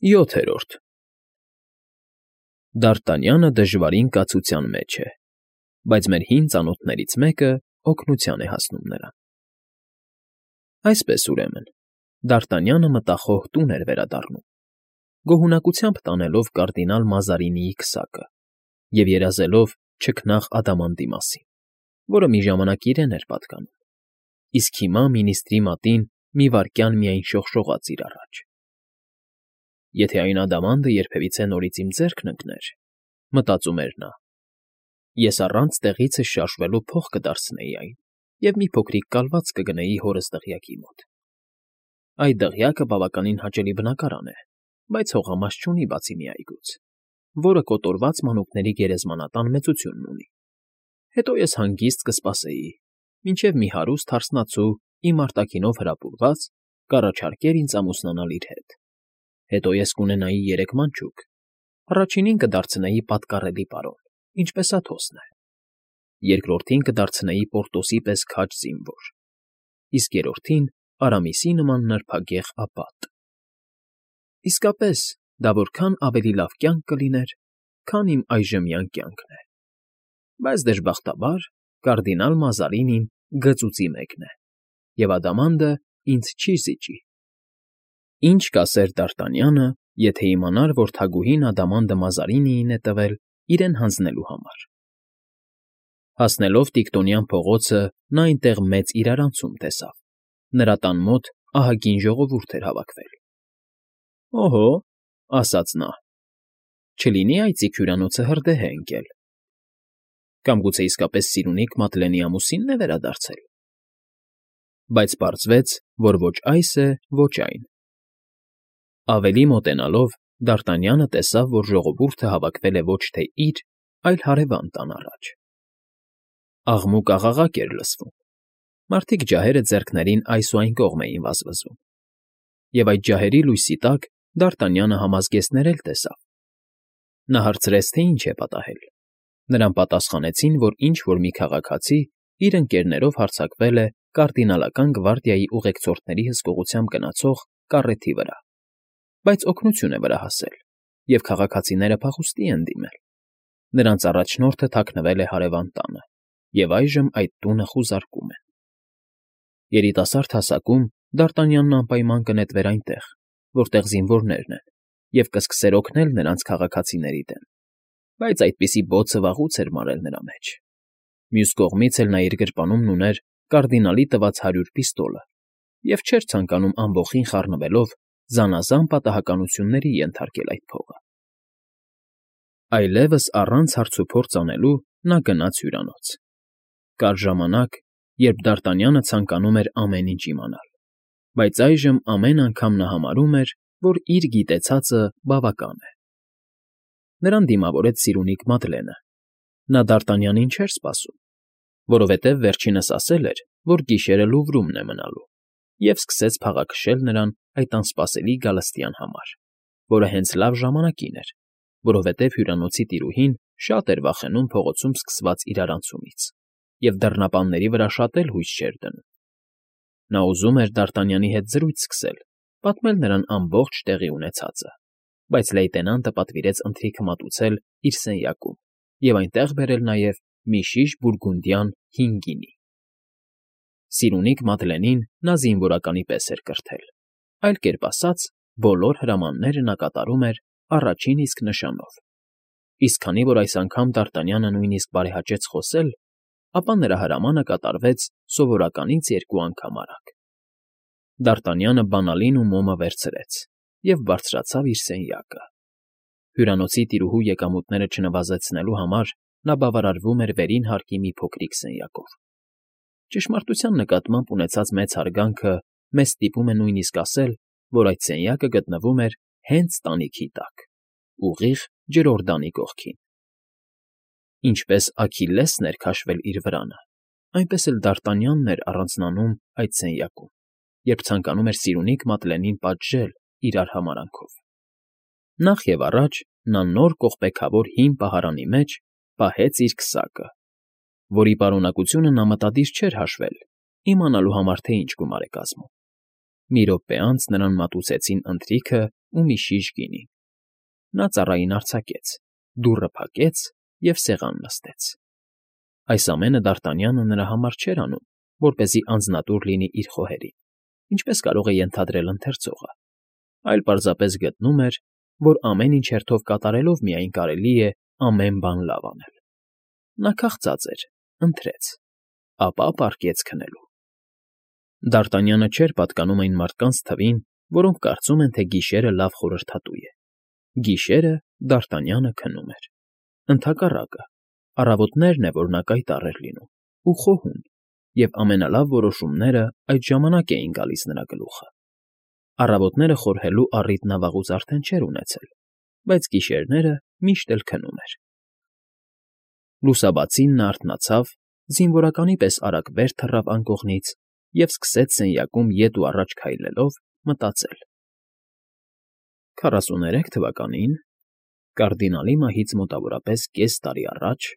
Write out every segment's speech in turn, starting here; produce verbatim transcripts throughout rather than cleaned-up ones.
ՅՈԹԵՐՈՐԴ Դ'ԱՐՏԱՆՅԱՆԸ դժվարին կացության մեջ է, բայց մեր հին ծանոթներից մեկը օգնության է հասնում նրան։ Այսպես, ուրեմն, Դ'ԱՐՏԱՆՅԱՆը մտախոհ տուն էր վերադառնում, գոհունակությամբ տանելով կարդինալ Մազարինիի քսակը և երազելով չքնաղ ադամանդի մասին, որը մի ժամանակ իրեն էր պատկանում, իսկ հիմա մինիստրի մատին մի վայրկյան միայն շողշողաց իր առաջ։ «Եթե այն ադամանդը երբևիցե նորից իմ ձեռքն ընկներ,֊ մտածում էր նա,֊ ես առանց տեղիցս շարժվելու փող կդարձնեի այն և մի փոքրիկ կալված կգնեի հորս դղյակի մոտ։ Այդ դղյակը բավականին հաճելի բնակարան է, բայց հողամաս չունի բացի մի այգուց, որը կոտորված մանուկների գերեզմանատան մեծությունն ունի։ Հետո ես հանգիստ կսպասեի, մինչև մի հարուստ հարսնացու, իմ արտաքինով հրապուրված, կառաջարկեր ինձ ամուսնանալ իր հետ։ Հետո ես կունենայի երեք մանչուկ, առաջինին կդարձնեի պատկառելի պարոն, ինչպես Աթոսն է, երկրորդին կդարձնեի Պորտոսի պես քաջ զինվոր, իսկ երրորդին Արամիսի նման նրբագեղ ապատ։ Իսկապես, դա որքան ավելի լավ կյանք կլիներ, քան իմ այժմյան կյանքն է։ Բայց, դժբախտաբար, կարդինալ Մազարինին գծուծի մեկն է, և ադամանդը ինձ չի զիջի։ Ինչ կասեր Դ'ԱՐՏԱՆՅԱՆը, եթե իմանար, որ թագուհին ադամանդը Մազարինիին է տվել իրեն հանձնելու համար։ Հասնելով Տիկտոնյան փողոցը, նա այնտեղ մեծ իրարանցում տեսավ, նրա տան մոտ ահագին ժողովուրդ էր հավաքվել։ «Օհո,֊ ասաց նա,֊ չլինի այծիք հյուրանոցը հրդեհ է ընկել։ Կամ գուցե իսկապես Սիրունիկ Մատլենի ամուսինն է վերադարձել»։ Բայց պարզվեց, որ ոչ այս է, ոչ այն։ Ավելի մոտենալով՝ Դ'ԱՐՏԱՆՅԱՆը տեսավ, որ ժողովուրդը հավաքվել է ոչ թե իր, այլ հարևան տան առաջ։ Աղմուկ֊աղաղակ էր լսվում, մարդիկ ջահերը ձեռքներին այս ու այն կողմ էին վազվզում, և այդ ջահերի լույսի տակ Դ'ԱՐՏԱՆՅԱՆը համազգեստներ էլ տեսավ։ Նա հարցրեց, թե ինչ է պատահել։ Նրան պատասխանեցին, որ ինչ֊որ մի քաղաքացի իր ընկերներով հարձակվել է կարդինալական գվարդիայի ուղեկցորդների հսկողությամբ գնացող կառեթի վրա, բայց օգնություն է վրա հասել, և քաղաքացիները փախուստի են դիմել։ Նրանց առաջնորդը թաքնվել է հարևան տանը, և այժմ այդ տունը խուզարկում են։ Երիտասարդ հասակում Դ'ԱՐՏԱՆՅԱՆն անպայման կնետվեր այնտեղ, որտեղ զինվորներն են, և կսկսեր օգնել նրանց քաղաքացիների դեմ, բայց այդպիսի բոցը վաղուց էր մարել նրա մեջ։ Մյուս կողմից էլ նա իր գրպանումն ուներ կարդինալի տված հարյուր պիստոլը և չէր ցանկանում ամբոխին խառնվելով զանազան պատահականությունների ենթարկել այդ փողը։ Այլևս առանց հարցուփորձ անելու նա գնաց հյուրանոց։ Կար ժամանակ, երբ Դ'ԱՐՏԱՆՅԱՆը ցանկանում էր ամեն ինչ իմանալ, բայց այժմ ամեն անգամ նա համարում էր, որ իր գիտեցածը բավական է։ Նրան դիմավորեց Սիրունիկ Մատլենը։ Նա Դ'ԱՐՏԱՆՅԱՆին չէր սպասում, որովհետև վերջինս ասել էր, որ գիշերը Լուվրումն է մնալու, և սկսեց փաղաքշել նրան այդ անսպասելի գալստյան համար, որը հենց լավ ժամանակին էր, որովհետև հյուրանոցի տիրուհին շատ էր վախենում փողոցում սկսված իրարանցումից և դռնապանների վրա շատ էլ հույս չէր դնում։ Նա ուզում էր Դ'ԱՐՏԱՆՅԱՆի հետ զրույց սկսել, պատմել նրան ամբողջ տեղի ունեցածը, բայց լեյտենանտը պատվիրեց ընթրիքը մատուցել իր սենյակում և այնտեղ բերել նաև մի շիշ բուրգունդյան հին գինի։ Սիրունիկ Մատլենին նա զինվորականի պես էր կրթել, այլ կերպ ասած, բոլոր հրամանները նա կատարում էր առաջին իսկ նշանով, իսկ քանի որ այս անգամ Դ'ԱՐՏԱՆՅԱՆը նույնիսկ բարեհաճեց խոսել, ապա նրա հրամանը կատարվեց սովորականից երկու անգամ արագ։ Դ'ԱՐՏԱՆՅԱՆը բանալին ու մոմը վերցրեց և բարձրացավ իր սենյակը։ Հյուրանոցի տիրուհու եկամուտները չնվազեցնելու համար նա բավարարվում էր վերին հարկի մի փոքրիկ սենյակով։ Ճշմարտության նկատմամբ ունեցած մեծ հարգանքը մեզ ստիպում է նույնիսկ ասել, որ այդ սենյակը գտնվում էր հենց տանիքի տակ, ուղիղ ջրօրդանի կողքին։ Ինչպես Աքիլլեսն էր քաշվել իր վրանը, այնպես էլ Դ'ԱՐՏԱՆՅԱՆն էր առանձնանում այդ սենյակում, երբ ցանկանում էր Սիրունիկ Մատլենին պատժել իր արհամարհանքով։ Նախ և առաջ նա նոր կողպեքավոր հին պահարանի մեջ պահեց իր քսակը, որի պարունակությունը նա մտադիր չէր հաշվել, իմանալու համար, թե ինչ գումար է կազմում։ Մի րոպե անց նրան մատուցեցին ընթրիքը ու մի շիշ գինի։ Նա ծառային արձակեց, դուռը փակեց և սեղան նստեց։ Այս ամենը Դարտանյանը նրա համար չէր անում, որպեսզի անձնատուր լինի իր խոհերին, ինչպես կարող է ենթադրել ընթերցողը, այլ պարզապես գտնում էր, որ ամեն ինչ հերթով կատարելով միայն կարելի է ամեն բան լավ անել։ Նա քաղցած էր, ընթրեց, ապա պառկեց քնելու։ Դարտանյանը չէր պատկանում այն մարդկանց թվին, որոնք կարծում են, թե գիշերը լավ խորհրդատու է։ Գիշերը Դարտանյանը քնում էր։ Ընդհակառակը, առավոտներն է, որ նա կայտառ էր լինում ու խոհում, և ամենալավ որոշումները այդ ժամանակ էին գալիս նրա գլուխը։ Առավոտները խորհելու առիթ նա վաղուց արդեն չէր ունեցել, բայց գիշերները միշտ էլ քնում էր։ Լուսաբացին նա արթնացավ, զինվորականի պես արագ վեր թռավ անկողնից և սկսեց սենյակում ետ ու առաջ քայլելով մտածել. Քառասուներեք թվականին, կարդինալի մահից մոտավորապես կես տարի առաջ,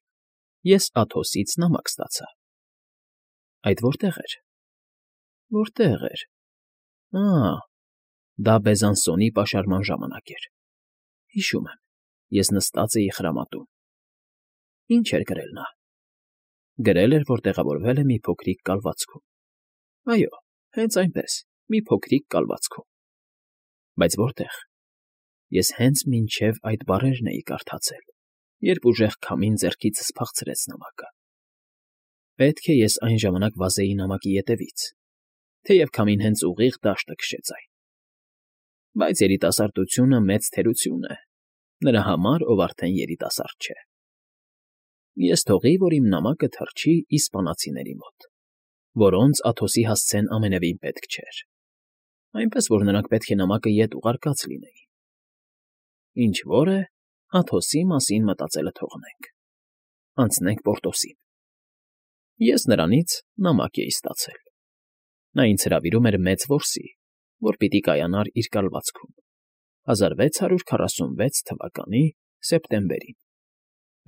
ես Աթոսից նամակ ստացա։ Այդ որտե՞ղ էր, որտե՞ղ էր… Ա՜, դա Բեզանսոնի պաշարման ժամանակ էր։ Հիշում եմ, ես նստած էի խրամատում։ Ինչ էր գրել նա… Գրել էր, որ տեղավորվել է մի փոքրիկ կալվածքում։ Այո, հենց այնպես, մի փոքրիկ կալվածքում։ Բայց որտե՞ղ… Ես հենց մինչև այդ բառերն էի կարդացել, երբ ուժեղ քամին ձեռքիցս փախցրեց նամակը։ Պետք է ես այն ժամանակ վազեի նամակի ետևից, թեև քամին հենց ուղիղ դաշտը քշեց այն։ Բայց երիտասարդությունը մեծ թերություն է նրա համար, ով արդեն երիտասարդ չէ։ Ես թողի, որ իմ նամակը թռչի իսպանացիների մոտ, որոնց Աթոսի հասցեն ամենևին պետք չէր, այնպես որ նրանք պետք է նամակը ետ ուղարկած լինեին։ Ինչ որ է, Աթոսի մասին մտածելը թողնենք, անցնենք Պորտոսին։ Ես նրանից նամակ էի ստացել։ Նա ինձ հրավիրում էր մեծ որսի, որ պիտի կայանար իր կալվածքում, հազար վեց հարյուր քառասունվեց թվականի սեպտեմբերին։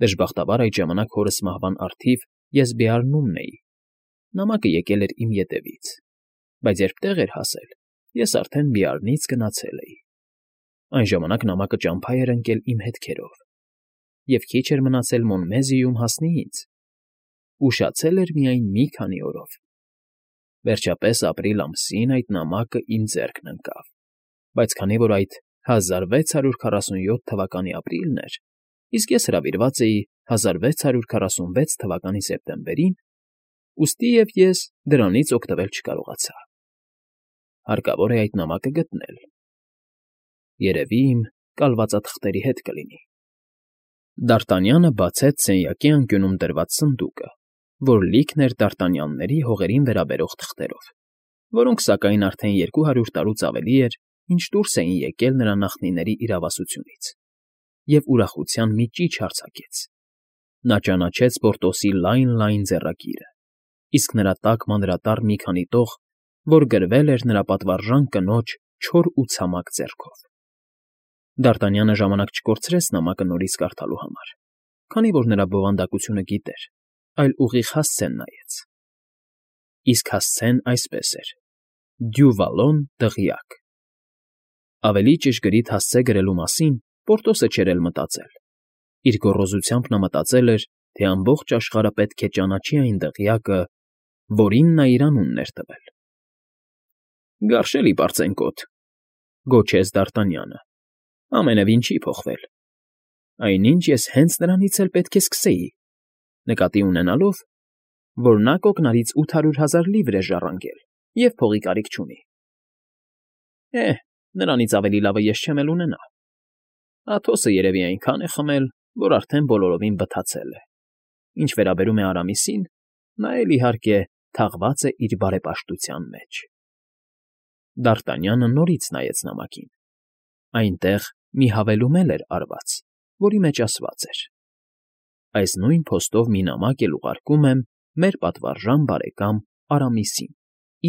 Դժբախտաբար այդ ժամանակ հորս մահվան առթիվ ես Բեարնումն էի։ Նամակը եկել էր իմ ետևից, բայց երբ տեղ էր հասել, ես արդեն Բեարնից գնացել էի։ Այն ժամանակ նամակը ճամփա էր ընկել իմ հետքերով, և քիչ էր մնացել Մոնմեզիում հասնի ինձ։ Ուշացել էր միայն մի քանի օրով։ Վերջապես ապրիլ ամսին այդ նամակը իմ ձեռքն ընկավ, բայց քանի որ այդ հազար վեց հարյուր քառասունյոթ թվականի ապրիլն էր, իսկ ես հրավիրված էի հազար վեց հարյուր քառասունվեց թվականի սեպտեմբերին, ուստի և ես դրանից օգտվել չկարողացա։ Հարկավոր է այդ նամակը գտնել։ Երևի իմ կալվածաթղթերի հետ կլինի։ Դարտանյանը բացեց սենյակի անկյունում դրված սնդուկը, որ լիքն էր Դարտանյանների հողերին վերաբերող թղթերով, որոնք, սակայն, արդեն երկու հարյուր տարուց ավելի էր, ինչ դուրս էին եկել նրա նախնիների իրավասությունից, և ուրախության մի ճիչ արձակեց։ Նա ճանաչեց Պորտոսի լայն֊լայն ձեռագիրը, իսկ նրա տակ մանրատառ մի քանի տող, որ գրվել էր նրա պատվարժան կնոջ չոր ու ցամաք ձեռքով։ Դարտանյանը ժամանակ չկորցրեց նամակը նորից կարդալու համար, քանի որ նրա բովանդակությունը գիտեր, այլ ուղիղ հասցեն նայեց։ Իսկ հասցեն այսպես էր. «Դյու Վալոն դղյակ»։ Ավելի ճշգրիտ հասցե գրելու մասին Պորտոսը չէր էլ մտածել։ Իր գոռոզությամբ նա մտածել էր, թե ամբողջ աշխարհը պետք է ճանաչի այն դղյակը, որին նա իր անունն էր տվել։ «Գարշելի պարծենկոտ», գոչեց Դարտանյանը, ամենևին չի փոխվել։ Այնինչ ես հենց նրանից էլ պետք է սկսեի, նկատի ունենալով, որ նա կոկնարից ութ հարյուր հազար լիվր է ժառանգել և փողի կարիք չունի։ Է՜, նրանից ավելի լավը ես չեմ էլ ունենա։ Աթոսը երևի այնքան է խմել, որ արդեն բոլորովին բթացել է։ Ինչ վերաբերում է Արամիսին, նա էլ, իհարկե, թաղված է իր բարեպաշտության մեջ։ Դարտանյանը նորից նայեց նամակին։ Այնտեղ մի հավելում էլ էր արված, որի մեջ ասված էր. «Այս նույն փոստով մի նամակ էլ ուղարկում եմ մեր պատվարժան բարեկամ Արամիսին,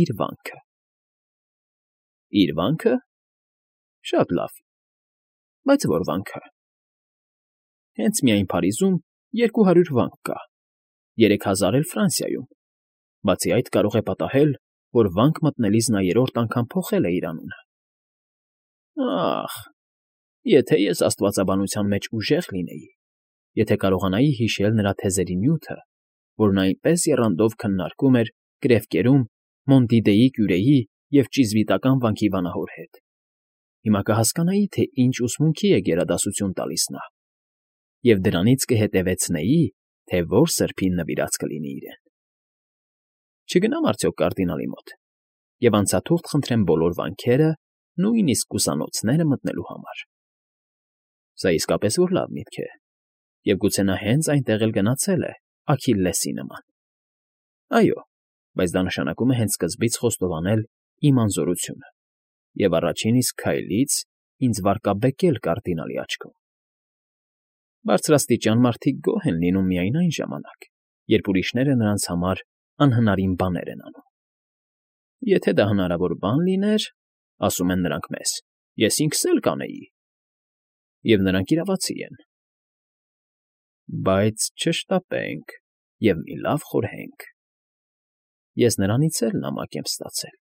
իր վանքը»։ Իր վանքը… Շատ լավ, բայց ո՞ր վանքը։ Հենց միայն Փարիզում երկու հարյուր վանք կա, երեք հազար էլ Ֆրանսիայում։ Բացի այդ, կարող է պատահել, որ վանք մտնելիս նա երրորդ անգամ փոխել է իր անունը։ Ախ, եթե ես աստվածաբանության մեջ ուժեղ լինեի, եթե կարողանայի հիշել նրա թեզերի նյութը, որ նա այնպես եռանդով քննարկում էր Կրևկերում Մոնտիդեի կյուրեի և ճիզվիտական վանքի վանահոր հետ, հիմա կհասկանայի, թե ինչ ուսմունքի է գերադասություն տալիս նա, և դրանից կհետևեցնեի, թե որ սրբին նվիրած կլինի իրեն։ Չգնամ արդյոք կարդինալի մոտ և անցաթուղթ խնդրեմ բոլոր վանքերը, նույնիսկ ուսանոցները մտնելու համար։ Սա իսկապես որ լավ միտք է, և գուցե նա հենց այնտեղ էլ գնացել է Աքիլլեսի նման։ Այո, բայց դա նշանակում է հենց սկզբից խոստովանել իմ անզորությունը և առաջին իսկ քայլից ինձ վարկաբեկել կարդինալի աչքում։ Բարձրաստիճան մարդիկ գոհ են լինում միայն այն ժամանակ, երբ ուրիշները նրանց համար անհնարին բաներ են անում։ Եթե դա հնարավոր բան լիներ, ասում են նրանք մեզ, ես ինքս էլ կանեի։ Եվ նրանք իրավացի են։ Բայց չշտապենք և մի լավ խորհենք. ես նրանից էլ նամակ եմ ստացել,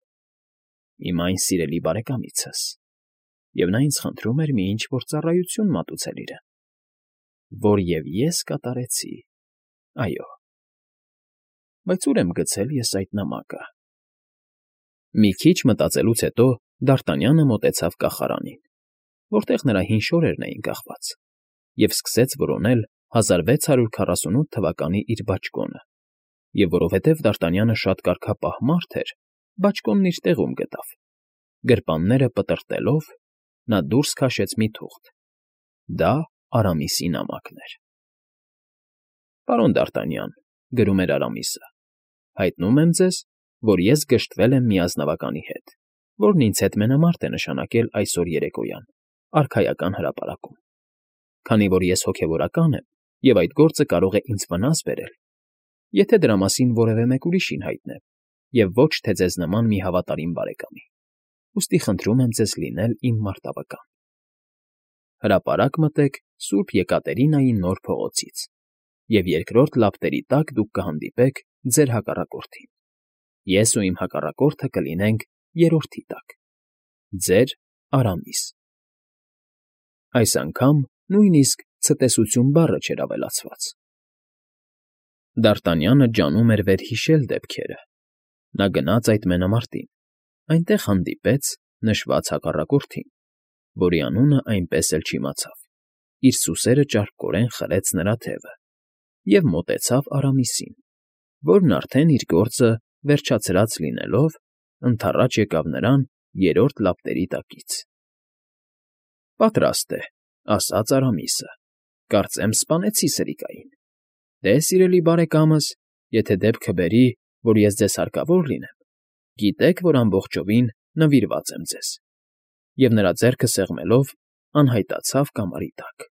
իմ այն սիրելի բարեկամիցս, և նա ինձ խնդրում էր մի ինչ֊որ ծառայություն մատուցել իրեն, որ և ես կատարեցի, այո։ Բայց ո՞ւր եմ գցել ես այդ նամակը։ Մի քիչ մտածելուց հետո Դ'Արտանյանը մոտեցավ կախարանին, որտեղ նրա հին շորերն էին կախված, և սկսեց որոնել հազար վեց հարյուր քառասունութ թվականի իր բաճկոնը, և որովհետև Դ'Արտանյանը շատ կարգապահ մարդ էր, բաճկոնն իր տեղում գտավ։ Գրպանները պտռտելով՝ նա դուրս քաշեց մի թուղթ. դա Արամիսի նամակն էր։ Պարոն Դ'Արտանյան, գրում էր Արամիսը, հայտնում եմ ձեզ, որ ես գժտվել եմ մի ազնվականի հետ, որն ինձ հետ մենամարտ է նշանակել այսօր երեկոյան արքայական հրապարակում։ Քանի որ ես հոգևորական եմ, և այդ գործը կարող է ինձ վնաս բերել, եթե դրա մասին որևէ մեկ ուրիշին հայտնեմ, և ոչ թե ձեզ նման մի հավատարիմ բարեկամի, ուստի խնդրում եմ ձեզ լինել իմ մարտավկան։ Հրապարակ մտեք Սուրբ Եկատերինայի նոր փողոցից, և երկրորդ լապտերի տակ դուք կհանդիպեք ձեր հակառակորդին, ես ու իմ հակառակորդը կլինենք երրորդի տակ։ Ձեր Արամիս։ Այս անգամ նույնիսկ ցտեսություն բառը չէր ավելացված։ Դ'Արտանյանը ջանում էր վերհիշել դեպքերը։ Նա գնաց այդ մենամարտին, այնտեղ հանդիպեց նշված հակառակորդին, որի անունը այնպես էլ չիմացավ, իր սուսերը ճարպկորեն խրեց նրա թևը և մոտեցավ Արամիսին, որն արդեն իր գործը վերջացրած լինելով, ընդառաջ եկավ նրան երրորդ լապտերի տակից։ Պատրաստ է, ասաց Արամիսը, կարծեմ սպանեցի սրիկային։ Դե, սիրելի բարեկամս, եթե դեպքը բերի, որ ես ձեզ հարկավոր լինեմ, գիտեք, որ ամբողջովին նվիրված եմ ձեզ։ Եվ նրա ձեռքը սեղմելով անհայտացավ կամարի տակ։